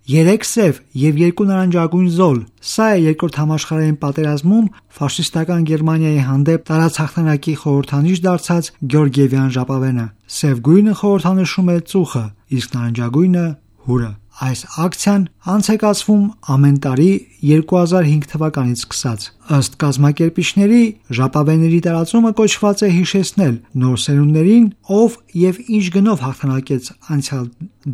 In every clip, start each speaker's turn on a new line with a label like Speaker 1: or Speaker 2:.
Speaker 1: 3 սև և 2 նարնջագույն զոլ։ Սա է երկրորդ համաշխարհային պատերազմում ֆաշիստական Գերմանիայի հանդեպ տարած հաղթանակի խորհրդանիշ դարձած Գեորգիևյան ժապավենը։ Սև գույնը խորհրդանշում է ծուխը, իսկ նարնջագույնը՝ հուրը։ Այս ակցիան անց է կացվում ամեն տարի 2005 թվականից սկսած։ Ըստ կազմակերպիչների, ժապավենների տարածումը կոչված է հիշեցնել նոր սերունդներին, ով և ինչ գնով հաղթանակեց անցյալ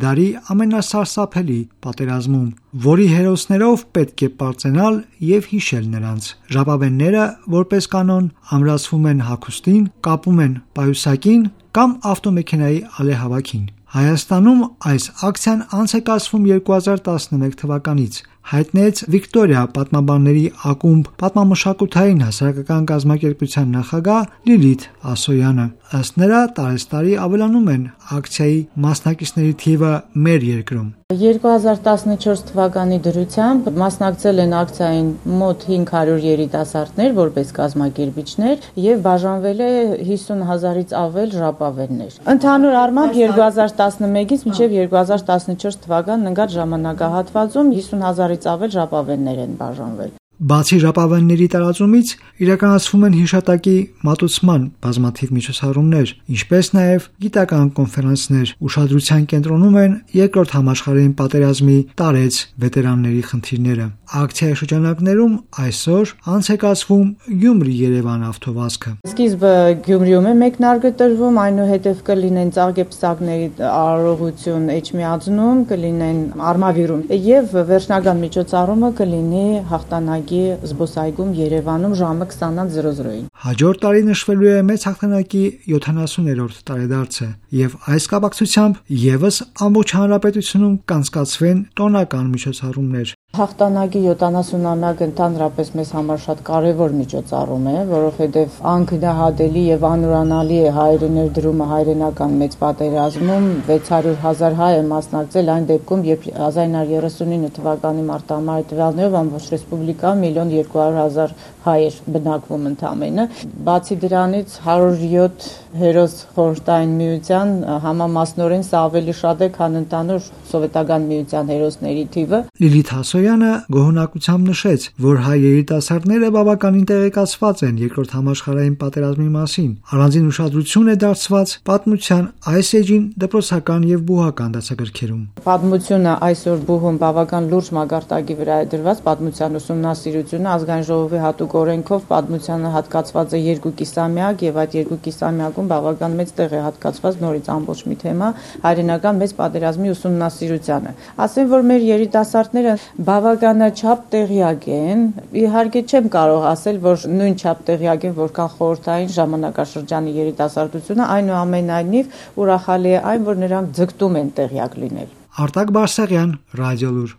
Speaker 1: դարի ամենասարսափելի պատերազմում, որի հերոսներով պետք է պարծենալ և հիշել նրանց։ Ժապավենները, որպես կանոն, ամրացվում են հագուստին, կապում են պայուսակին կամ ավտոմեքենայի ալեհավաքին։ Հայաստանում այս ակցիան անց է կացվում 2011 թվականից, հայտնեց Վիկտորիա պատմաբանների ակումբ պատմամշակութային հասարակական կազմակերպության նախագահ Լիլիթ Ասոյանը։ Ըստ նրա, տարեցտարի ավելանում են ակցիայի մասնակիցների թիվը մեր երկրում։
Speaker 2: 2014 թվականի դրությամբ մասնակցել են ակցիային մոտ 500 երիտասարդներ որպես կազմակերպիչներ եւ բաժանվել է 50,000-ից ավել ժապավեններ։ Ընդհանուր առմամբ 2011-ից մինչև 2014 թվականն ընկած ժամանակահատվածում 50,000-ից ավել ժապավեններ են բաժանվել։
Speaker 1: Բացի ժապավենների տարածումից իրականացվում են հիշատակի մատուցման բազմաթիվ միջոցառումներ, ինչպես նաև գիտական կոնֆերանսներ։ Ուշադրության կենտրոնում են Երկրորդ համաշխարհային պատերազմի տարեց վետերանների խնդիրները։ Ակցիայի շրջանակներում այսօր անց է կացվում Գյումրի-Երևան ավտովազքը։
Speaker 2: Սկիզբը Գյումրիում է մեկնարկը այնուհետև կլինեն ծաղկեպսակների արարողություն Էջմիածնում, կլինեն Արմավիրում եւ վերջնական միջոցառումը կլինի հաղթանակի զբոսայգում Երևանում ժամը 20:00-ին։
Speaker 1: Հաջորդ տարի նշվելու է մեծ հաղթանակի 70-րդ տարեդարձը եւ այս կապակցությամբ եւս ամբողջ հանրապետությունում կանցկացվեն տոնական միջոցառումներ։
Speaker 2: Հաղթանակի 70-ամյակը ընդհանրապես մեզ համար շատ կարևոր միջոցառում է, որովհետև անկնահատելի եւ անուրանալի է հայերի ներդրումը հայրենական մեծ պատերազմում 600,000 հայ է մասնակցել այն դեպքում, երբ 1939 թվականի մարտամարտի տվյալներով ամբողջ ռեսպուբլիկայում 1,200,000 հայ էր բնակվում ընդամենը։ Բացի դրանից 107 հերոս խորհրդային միության համամասնորեն սա ավելի շատ է, քան ընդհանուր սովետական միության հերոսների թիվը։
Speaker 1: Լիլիթ Ասոյանը գոհունակությամբ նշեց, որ հայ երիտասարդները բավականին տեղեկացված են Երկրորդ համաշխարհային պատերազմի մասին։ Առանձին ուշադրություն է դարձված պատմության այս էջին դպրոցական եւ բուհական դասագրքերում։
Speaker 2: Պատմությունը այսօր բուհում բավական լուրջ մակարդակի վրա է դրված, պատմության ուսումնասիրությունը ազգային ժողովի հատուկ օրենքով պատմությանը հատկացված է 2 կիսամյակ եւ այդ 2 կիսամյակում բավական մեծ տեղ է հատկացված նորից ամբողջ մի թեմա հայրենական մեծ պատերազմի ուսումնասիրությանը։ Ասեմ, որ մեր երիտասարդները բավականաչափ տեղյակ են, իհարկե չեմ կարող ասել, որ նույն չափ տեղյակ են, որքան խորհրդային ժամանակաշրջանի երիտասարդությունը, այնուամենայնիվ ուրախալի է այն, որ նրանք ձգտում են տեղյակ լինել։
Speaker 1: Արտակ Բարսեղյան, Ռադիոլուր։